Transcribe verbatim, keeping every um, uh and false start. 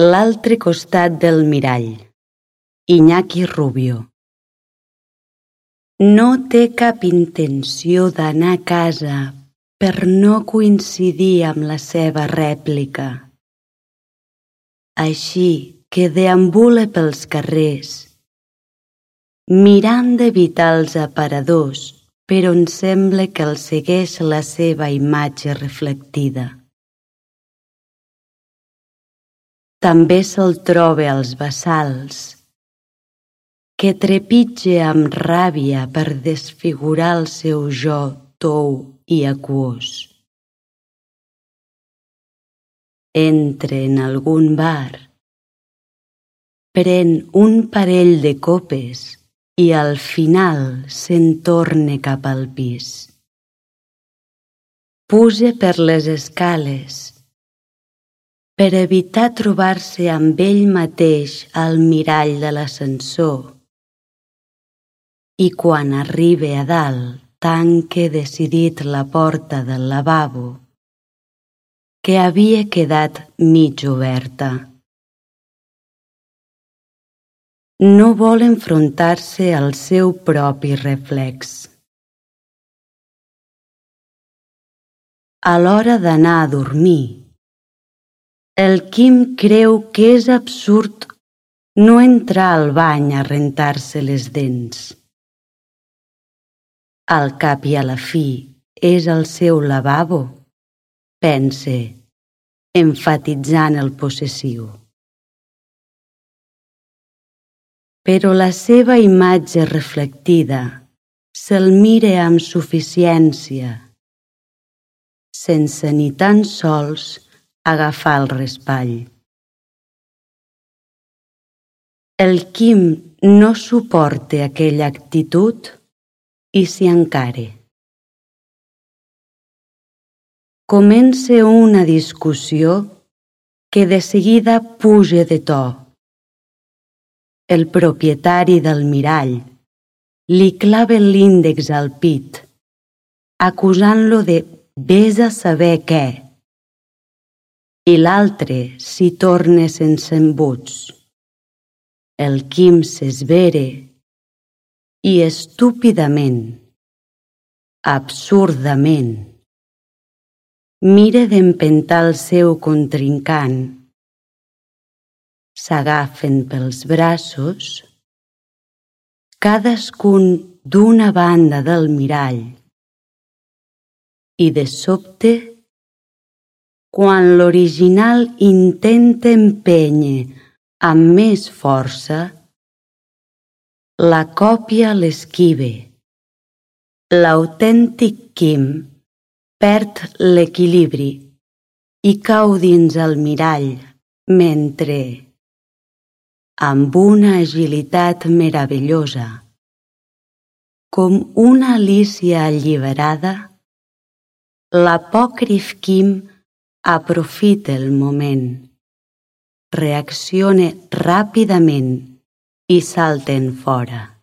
L'altre costat del mirall. Iñaki Rubio. No té cap intenció d'anar a casa per no coincidir amb la seva rèplica. Així que deambula pels carrers, mirant d'evitar els aparadors per on sembla que el segueix la seva imatge reflectida. També se'l troba als bassals, que trepitja amb ràbia per desfigurar el seu jo tou i aquós. Entra en algun bar, pren un parell de copes i al final se'n torna cap al pis. Puja per les escales per evitar trobar-se amb ell mateix al mirall de l'ascensor i quan arriba a dalt tanca decidit la porta del lavabo que havia quedat mig oberta. No vol enfrontar-se al seu propi reflex. A l'hora d'anar a dormir, el Quim creu que és absurd no entrar al bany a rentar-se les dents. Al cap i a la fi és el seu lavabo, pense, emfatitzant el possessiu. Però la seva imatge reflectida se'l mira amb suficiència, sense ni tan sols agafar el raspall. El Quim no suporta aquella actitud i s'hi encara. Comença una discussió que de seguida puja de to. El propietari del mirall li clava l'índex al pit, acusant-lo de vés a saber què, i l'altre s'hi torna sense embuts. El Quim s'esvera i estúpidament, absurdament, mira d'empentar el seu contrincant. S'agafen pels braços, cadascun d'una banda del mirall, i de sobte, quan l'original intenta empènyer amb més força, la còpia l'esquiva. L'autèntic Quim perd l'equilibri i cau dins el mirall mentre, amb una agilitat meravellosa, com una Alícia alliberada, l'apòcrif Quim aprofita el moment, reacciona ràpidament i salta enfora.